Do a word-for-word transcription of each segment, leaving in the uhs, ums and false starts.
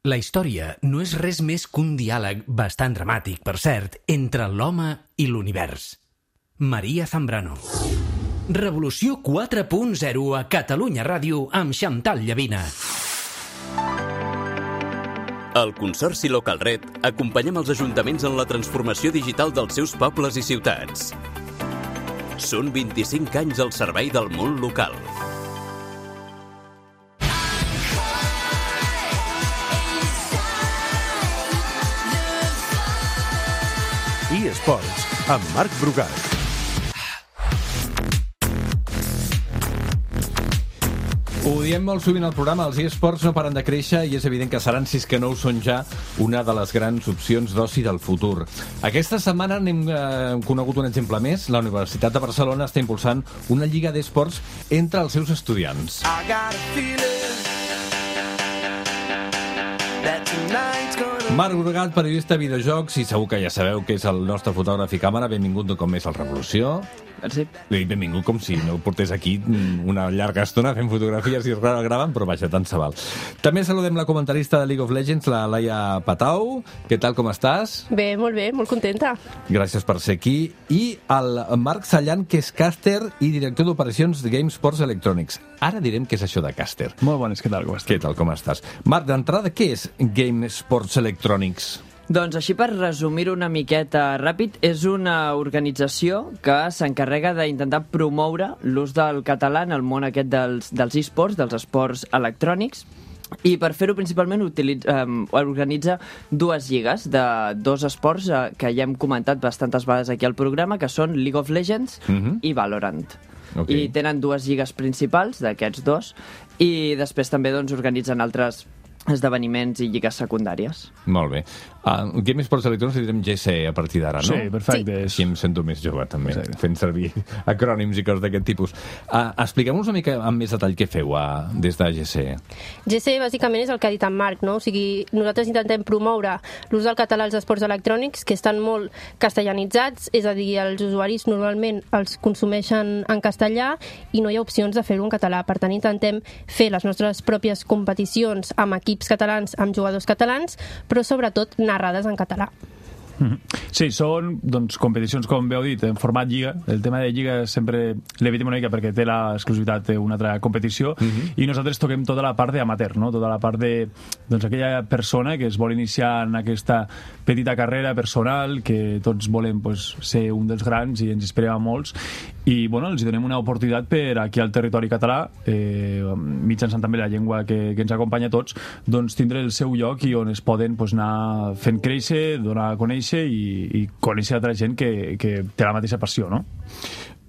La història no és res més que un diàleg bastant dramàtic, per cert, entre l'home i l'univers. Maria Zambrano. Revolució quatre punt zero a Catalunya Ràdio amb Xantal Llavina. Al Consorci Local Red acompanyem els ajuntaments en la transformació digital dels seus pobles i ciutats. Són vint-i-cinc anys al servei del món local. eSports, amb Marc Brugat. Ho diem molt sovint al programa, els eSports no paren de créixer i és evident que seran, si és que no ho són ja, una de les grans opcions d'oci del futur. Aquesta setmana n'hem eh, conegut un exemple més. La Universitat de Barcelona està impulsant una lliga d'eSports entre els seus estudiants. Marc Brugat, periodista de videojocs, i segur que ja sabeu que és el nostre fotògraf i càmera. Benvingut un cop més al Revolució. Merci. Benvingut com si no portés aquí una llarga estona fent fotografies i gravant, però vaja, tant se val. També saludem la comentarista de League of Legends, la Laia Patau. Què tal, com estàs? Bé, molt bé, molt contenta. Gràcies per ser aquí. I el Marc Sallan, que és càster i director d'operacions de GameSports Electronics. Ara direm què és això de càster. Molt bones, què tal, com estàs? Què tal, com estàs? Marc, d'entrada, què és GameSports Electronics? Doncs així, per resumir una miqueta ràpid, és una organització que s'encarrega d'intentar promoure l'ús del català en el món aquest dels, dels eSports, dels esports electrònics, i per fer-ho principalment utilitza, eh, organitza dues lligues de dos esports eh, que ja hem comentat bastantes vegades aquí al programa, que són League of Legends uh-huh. i Valorant. Okay. I tenen dues lligues principals d'aquests dos, i després també doncs, organitzen altres esdeveniments i lligues secundàries. Molt bé. Uh, GameSports Electronics direm G C a partir d'ara, no? Sí, perfecte. Sí. Així em sento més jove, també, sí. fent servir acrònims i coses d'aquest tipus. Uh, Expliquem-nos una mica amb més detall què feu uh, des de G C. G C, bàsicament, és el que ha dit en Marc, no? O sigui, nosaltres intentem promoure l'ús del català als esports electrònics, que estan molt castellanitzats, és a dir, els usuaris normalment els consumeixen en castellà i no hi ha opcions de fer-ho en català. Per tant, intentem fer les nostres pròpies competicions amb equips catalans, amb jugadors catalans, però sobretot narrades en català. Sí, són doncs, competicions, com bé heu dit, en format lliga. El tema de lliga sempre l'evitem una mica perquè té l'exclusivitat d'una altra competició, uh-huh. i nosaltres toquem tota la part d'amateur, no? Tota la part de doncs, aquella persona que es vol iniciar en aquesta petita carrera personal, que tots volem pues, ser un dels grans i ens inspirem a molts, i bueno, els donem una oportunitat per aquí al territori català, eh, mitjançant també la llengua que, que ens acompanya a tots, doncs tindre el seu lloc i on es poden pues, anar fent créixer, donar a conèixer i, i conèixer altra gent que, que té la mateixa passió, no?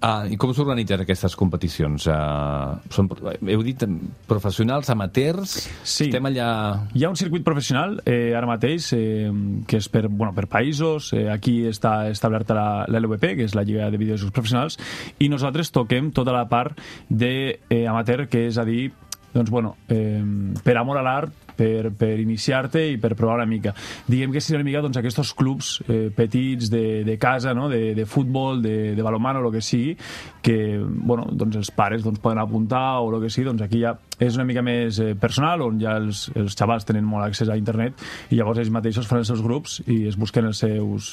Ah, I com s'organitzen aquestes competicions? Uh, són, heu dit professionals, amateurs? Sí. Estem allà... Hi ha un circuit professional eh, ara mateix eh, que és per, bueno, per països. Eh, aquí està establerta la, la L V P, que és la Lliga de Videojocs Professionals, i nosaltres toquem tota la part d'amateur, que és a dir, doncs, bueno, eh, per amor a l'art, per, per iniciar-te i per provar una mica. Diguem que seria una mica doncs, aquests clubs eh, petits de, de casa, no? de, de futbol, de, de balonmano, o el que sigui, que bueno, doncs els pares doncs, poden apuntar o el que sigui, doncs aquí ja és una mica més eh, personal, on ja els, els xavals tenen molt accés a internet i llavors ells mateixos fan els seus grups i es busquen els seus,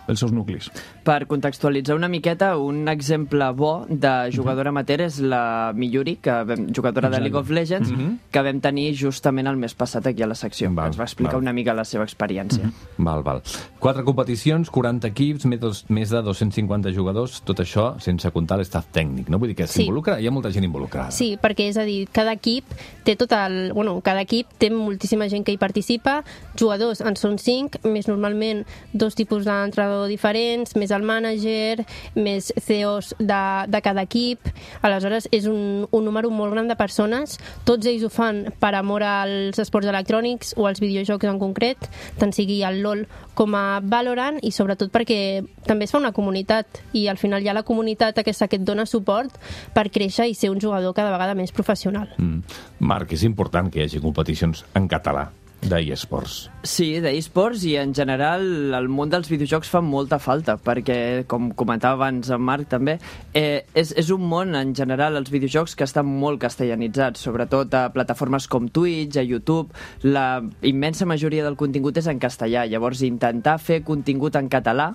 els seus nuclis. Per contextualitzar una miqueta, un exemple bo de jugadora amateur és la Miyuri, que vam, jugadora de League of Legends, mm-hmm. que vam tenir justament el mes passat aquí a la secció. Val, ens va explicar val. una mica la seva experiència. Mm-hmm. Val, val. Quatre competicions, quaranta equips, més de, més de dos-cents cinquanta jugadors, tot això sense comptar l'estaf tècnic, no? Vull dir que s'involucra, sí. Hi ha molta gent involucrada. Sí, perquè és a dir, cada equip té tot el... Bueno, cada equip té moltíssima gent que hi participa, jugadors en són cinc, més normalment dos tipus d'entrenador diferents, més el mànager, més C E Os de, de cada equip. Aleshores, és un, un número molt gran de persones. Tots ells ho fan per amor als esports electrònics o als videojocs en concret, tant sigui el LOL com a Valorant, i sobretot perquè també es fa una comunitat, i al final hi ha la comunitat aquesta que et dona suport per créixer i ser un jugador cada vegada més professional. Mm. Marc, és important que hi hagi competicions en català. d'eSports. Sí, d'eSports, i en general el món dels videojocs fa molta falta, perquè, com comentava abans en Marc també, eh, és, és un món en general, els videojocs, que estan molt castellanitzats, sobretot a plataformes com Twitch, a YouTube. La immensa majoria del contingut és en castellà, llavors intentar fer contingut en català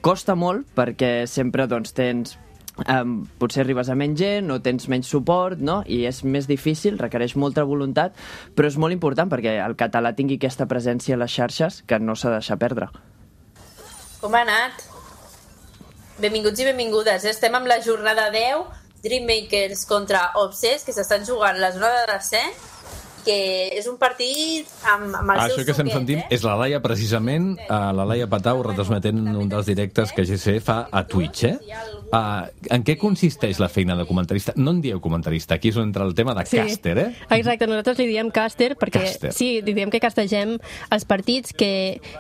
costa molt, perquè sempre doncs, tens Um, potser arribes a menys gent o tens menys suport, no? I és més difícil, requereix molta voluntat, però és molt important perquè el català tingui aquesta presència a les xarxes que no s'ha de deixar perdre. Com ha anat? Benvinguts i benvingudes. Estem amb la jornada deu, Dreammakers contra Obsess, que s'estan jugant la zona de descens, que és un partit amb, amb el ah, seu això que estem suquet, sentint eh? és la Laia, precisament, uh, la Laia Patau retransmetent un dels directes que G C fa a Twitch, eh? Uh, en què consisteix la feina de comentarista? No en dieu comentarista, aquí és on entra el tema de sí, caster, eh? Exacte, nosaltres li diem caster perquè Caster. sí, li diem que castegem els partits, que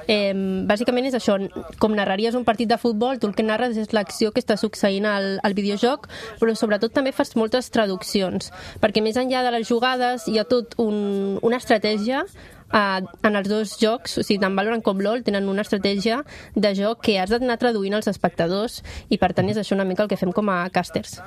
eh, bàsicament és això, com narraries un partit de futbol, tu el que narres és l'acció que està succeint al, al videojoc, però sobretot també fas moltes traduccions, perquè més enllà de les jugades hi ha tot un, una estratègia. Uh, en els dos jocs, o sigui, tant Valorant com LoL tenen una estratègia de joc que has d'anar traduint als espectadors, i per tant és això una mica el que fem com a casters.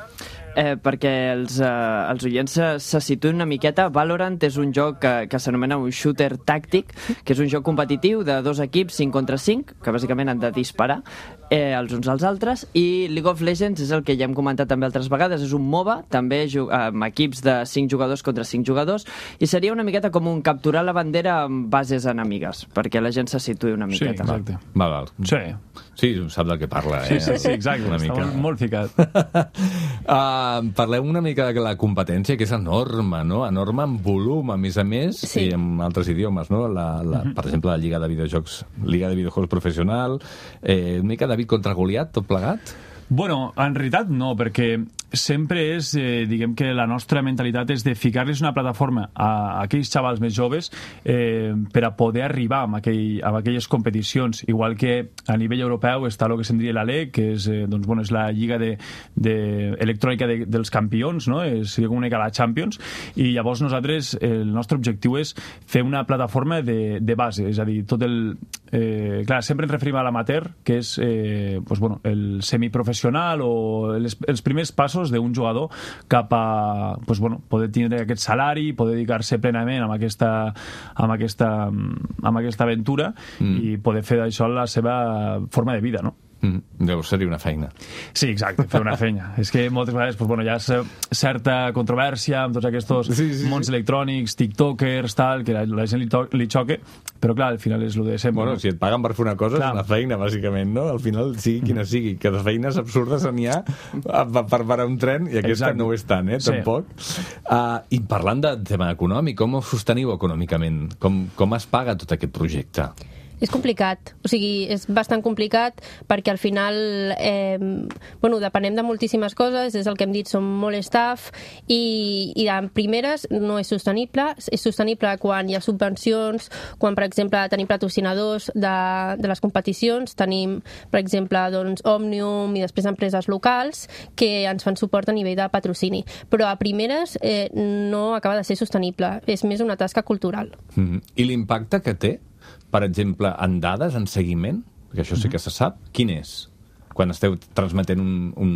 Eh, perquè els, eh, els oients se, se situen una miqueta. Valorant és un joc que, que s'anomena un shooter tàctic, que és un joc competitiu de dos equips cinc contra cinc, que bàsicament han de disparar eh, els uns als altres, i League of Legends és el que ja hem comentat també altres vegades, és un MOBA, també amb equips de cinc jugadors contra cinc jugadors, i seria una miqueta com un capturar la bandera amb bases enemigues, perquè la gent se situï una Sí, miqueta. exacte. Val, val. Sí, Sí, sap del que parla, eh? sí, sí, sí exacte. Una Està mica. molt, molt ficat. uh, parlem una mica de la competència, que és enorme, no? Enorme en volum, a més a més, Sí. i en altres idiomes, no? La, la, Mhm. per exemple, la Lliga de Videojocs, Lliga de Videojocs Professional, eh, una mica David contra Goliat, tot plegat? Bueno, en realitat no, perquè sempre és, eh, diguem que la nostra mentalitat és de ficar-los una plataforma a, a aquells xavals més joves eh, per a poder arribar a, aquell, a aquelles competicions, igual que a nivell europeu està el que se'n diria la L E C, que és, eh, doncs, bueno, és la lliga de, de, electrònica de, dels campions, no? És, seria com una mica la Champions, i llavors nosaltres, el nostre objectiu és fer una plataforma de, de base, és a dir, tot el... Eh, clar, sempre ens referim a l'amateur, que és eh, pues, bueno, el semiprofessional o els, els primers passos d'un jugador cap a pues, bueno, poder tindre aquest salari, poder dedicar-se plenament amb aquesta, amb aquesta, amb aquesta aventura mm. i poder fer d'això la seva forma de vida, no? Mm, llavors seria una feina. Sí, exacte, fer una feina. És que moltes vegades pues, bueno, hi ha certa controvèrsia amb tots aquests sí, sí, mons sí. electrònics, tiktokers, tal, que la, la gent li, to li xoque, però clar, al final és el de sempre. Bueno, no? si et paguen per fer una cosa, Clar. és una feina, bàsicament, no? Al final, sigui quina sigui, que de feines absurdes n'hi ha per parar un tren, i aquesta Exacte. no ho és tant, eh? Sí. Tampoc. Uh, I parlant de tema econòmic, com ho sosteniu econòmicament? Com, com es paga tot aquest projecte? És complicat, o sigui, és bastant complicat perquè al final eh, bueno, depenem de moltíssimes coses, és el que hem dit, som molt staff i, i de primeres no és sostenible, és sostenible quan hi ha subvencions, quan per exemple tenim patrocinadors de, de les competicions, tenim per exemple doncs, Òmnium i després empreses locals que ens fan suport a nivell de patrocini, però a primeres eh, no acaba de ser sostenible, és més una tasca cultural. Mm-hmm. I l'impacte que té, per exemple, en dades, en seguiment, perquè això sí que se sap, quin és? Quan esteu transmetent un, un,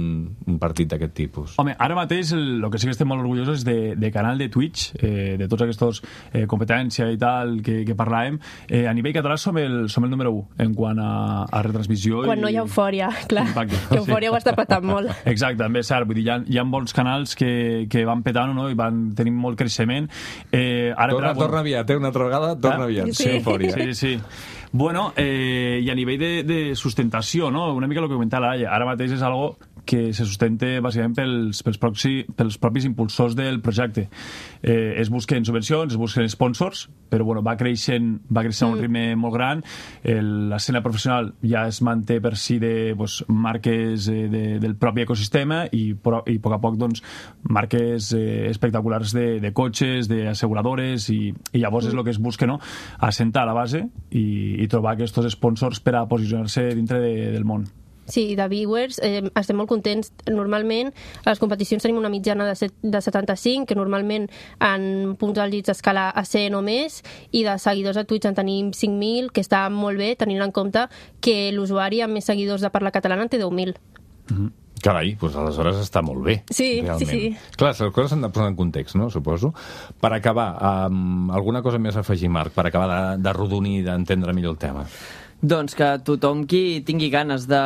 un partit d'aquest tipus? Home, ara mateix el, el que sí que estem molt orgullosos és de, de canal de Twitch, eh, de tots aquests eh, competència i tal que, que parlàvem. Eh, a nivell català som el, som el número u en quant a, a retransmissió. Quan i... no hi ha eufòria, clar, Impacte. que eufòria ho està patant molt. Exacte, també és cert, vull dir, hi ha, hi ha molts canals que, que van petant, no? I van tenir molt creixement. Eh, ara, Torna, però, torna aviat, eh? Una altra vegada, torna Ah? aviat. Sí. Sí, eufòria. Sí, sí. Bueno, eh, i a nivell de, de sustentació, no? Una mica el que comentava la Laia, ara mateix és algo que se sustenta bàsicament pels, pels, proxi, pels propis impulsors del projecte. Eh, es busquen subvencions, es busquen sponsors, però bueno, va creixent, va creixent a un ritme molt gran. L'escena professional ja es manté per si de pues, marques eh, de, del propi ecosistema i, pro, i a poc a poc doncs, marques eh, espectaculars de, de cotxes, d'asseguradores, i, i llavors és el que es busca, no? Assentar la base i, i trobar aquests sponsors per a posicionar-se dintre de, del món. Sí, de viewers eh, estem molt contents. Normalment a les competicions tenim una mitjana de, set, de setanta-cinc, que normalment en punts àlgids escala a cent o més, i de seguidors a Twitch en tenim cinc mil, que està molt bé, tenint en compte que l'usuari amb més seguidors de parla catalana en té deu mil. Mm-hmm. Carai, doncs aleshores està molt bé. Sí, realment. sí, sí. Clar, les coses s'han de posar en context, no?, suposo. Per acabar, um, alguna cosa més a afegir, Marc, per acabar de, de rodonir i d'entendre millor el tema? Doncs que tothom qui tingui ganes de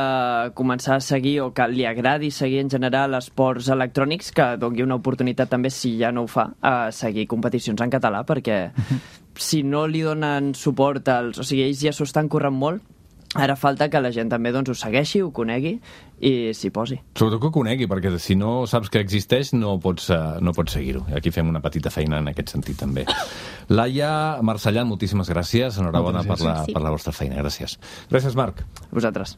començar a seguir o que li agradi seguir en general esports electrònics, que doni una oportunitat també, si ja no ho fa, a seguir competicions en català, perquè si no li donen suport als... O sigui, ells ja s'ho estan corrent molt, ara falta que la gent també doncs, ho segueixi, ho conegui i s'hi posi. Sobretot que ho conegui, perquè si no saps que existeix no pots, uh, no pots seguir-ho. Aquí fem una petita feina en aquest sentit també. Laia Marcellà, moltíssimes gràcies. Enhorabona per la, per la vostra feina. Gràcies. Gràcies, Marc. A vosaltres.